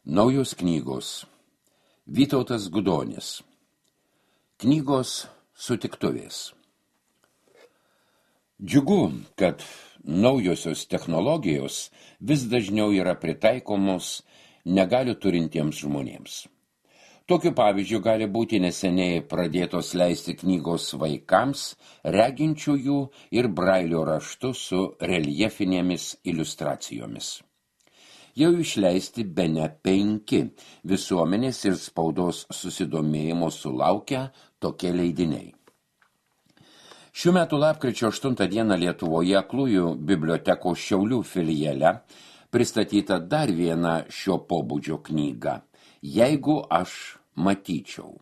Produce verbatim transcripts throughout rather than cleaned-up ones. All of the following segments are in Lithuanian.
Naujos knygos. Vytautas Gudonis. Knygos sutiktuvės. Džiugu, kad naujosios technologijos vis dažniau yra pritaikomos negalių turintiems žmonėms. Tokiu pavyzdžiu gali būti neseniai pradėtos leisti knygos vaikams, reginčiųjų ir brailio raštu su reljefinėmis iliustracijomis. Jau išleisti bene penki visuomenės ir spaudos susidomėjimo sulaukę tokie leidiniai. Šių metų lapkričio aštuntą dieną Lietuvoje Aklųjų bibliotekos Šiaulių filiale pristatyta dar viena šio pobūdžio knyga Jeigu aš matyčiau.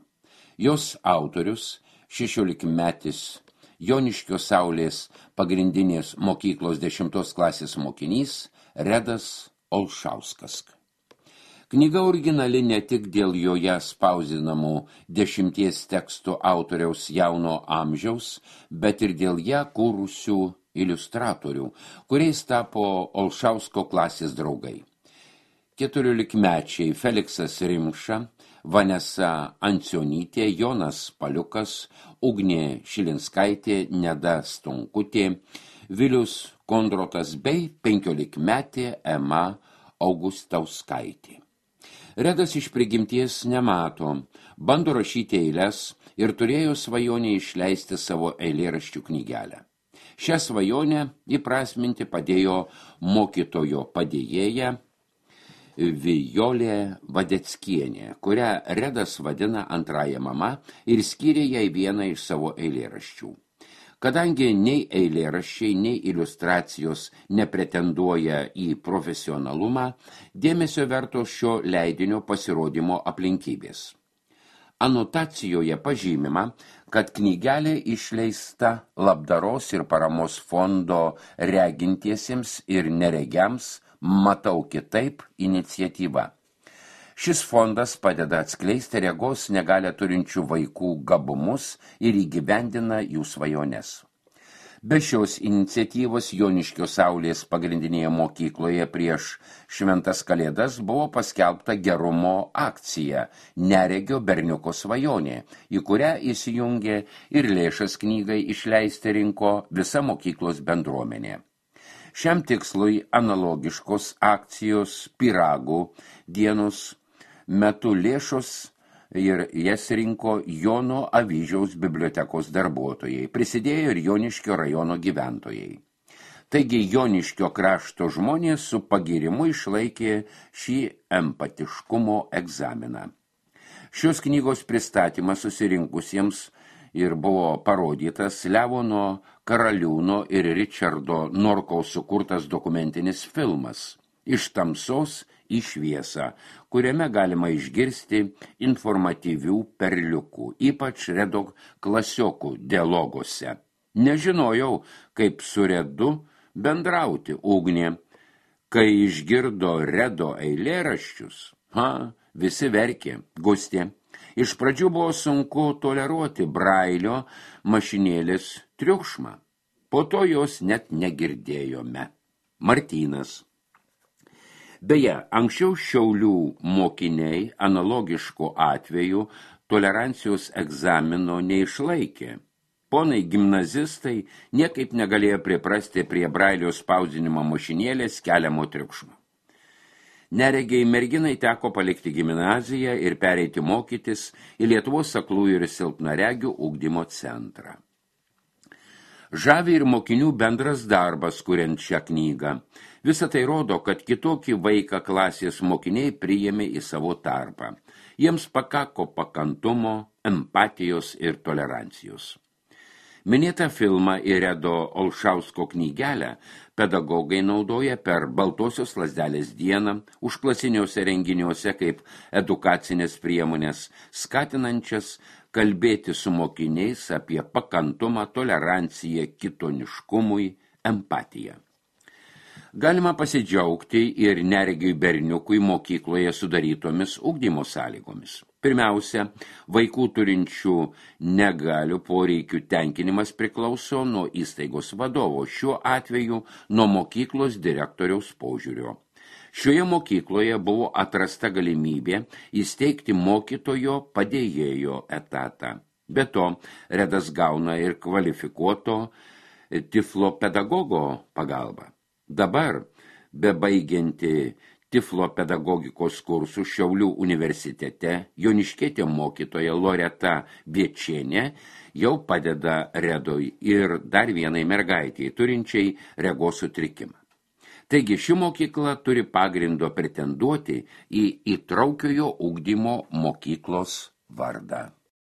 Jos autorius, šešiolikmetis Joniškio Saulės pagrindinės mokyklos dešimtos klasės mokinys Redas Olšauskas. Knyga originali ne tik dėl joje spausdinamų dešimties tekstų autoriaus jauno amžiaus, bet ir dėl ją kūrusių iliustratorių, kuriais tapo Olšausko klasės draugai. Keturiolikmečiai Feliksas Rimša, Vanesa Ancionytė, Jonas Paliukas, Ugnė Šilinskaitė, Neda Stonkutė, Vilius Kondrotas bei penkiolikmetė Ema Augustauskaitė. Redas iš prigimties nemato, bando rašyti eiles ir turėjo svajonę išleisti savo eilėraščių knygelę. Šią svajonę įprasminti padėjo mokytojo padėjėja Vijolė Vadeckienė, kurią Redas vadina antrąja mama ir skyrė jai vieną iš savo eilėraščių. Kadangi nei eilėraščiai, nei iliustracijos nepretenduoja į profesionalumą, dėmesio verto šio leidinio pasirodymo aplinkybės. Anotacijoje pažymima, kad knygelė išleista labdaros ir paramos fondo regintiesiems ir neregiams Matau kitaip iniciatyva. Šis fondas padeda atskleisti regos negalią turinčių vaikų gabumus ir įgyvendina jų svajones. Be šios iniciatyvos Joniškio Saulės pagrindinėje mokykloje prieš šventas kalėdas buvo paskelbta gerumo akcija Neregio berniuko svajonė, į kurią įsijungė ir lėšas knygai išleisti rinko visa mokyklos bendruomenė. Šiam tikslui analogiškos akcijos Pyragų dienos metu lėšos ir jas rinko Jono Avyžiaus bibliotekos darbuotojai, prisidėjo ir Joniškio rajono gyventojai. Taigi Joniškio krašto žmonės su pagyrimu išlaikė šį empatiškumo egzaminą. Šios knygos pristatymas susirinkusiems ir buvo parodytas Levono Karaliūno ir Ričardo Norkaus sukurtas dokumentinis filmas Iš tamsos į šviesą, kuriame galima išgirsti informatyvių perliukų, ypač Redo klasiokų dialoguose. Nežinojau, kaip su Redu bendrauti Ugnė, kai išgirdo Redo eilėraščius. Ha, visi verkė, Gustė. Iš pradžių buvo sunku toleruoti brailio mašinėlės triukšmą. Po to jos net negirdėjome. Martynas. Beje, anksčiau Šiaulių mokiniai analogiškų atvejų tolerancijos egzamino neišlaikė. Ponai gimnazistai niekaip negalėjo priprasti prie brailio spausdinimo mašinėlės keliamo triukšmo. Neregiai merginai teko palikti gimnaziją ir pereiti mokytis į Lietuvos aklųjų ir silpnaregių ugdymo centrą. Žavi ir mokinių bendras darbas, kuriant šią knygą. Visa tai rodo, kad kitokį vaiką klasės mokiniai priėmė į savo tarpą. Jiems pakako pakantumo, empatijos ir tolerancijos. Minėtą filmą ir Redo Olšausko knygelę pedagogai naudoja per Baltosios lazdelės dieną, užklasiniuose renginiuose kaip edukacinės priemonės, skatinančias kalbėti su mokiniais apie pakantumą, toleranciją, kitoniškumui, empatiją. Galima pasidžiaugti ir neregiui berniukui mokykloje sudarytomis ugdymo sąlygomis. Pirmiausia, vaikų turinčių negalių poreikių tenkinimas priklauso nuo įstaigos vadovo, šiuo atveju nuo mokyklos direktoriaus požiūrio. Šioje mokykloje buvo atrasta galimybė įsteigti mokytojo padėjėjo etatą. Be to, Redas gauna ir kvalifikuoto tiflopedagogo pagalbą. Dabar, bebaigianti tiflopedagogikos kursų Šiaulių universitete, joniškietė mokytoja Loreta Biečienė jau padeda Redoj ir dar vienai mergaitei, turinčiai regos sutrikimą. Taigi ši mokykla turi pagrindo pretenduoti į įtraukiojo ugdymo mokyklos vardą.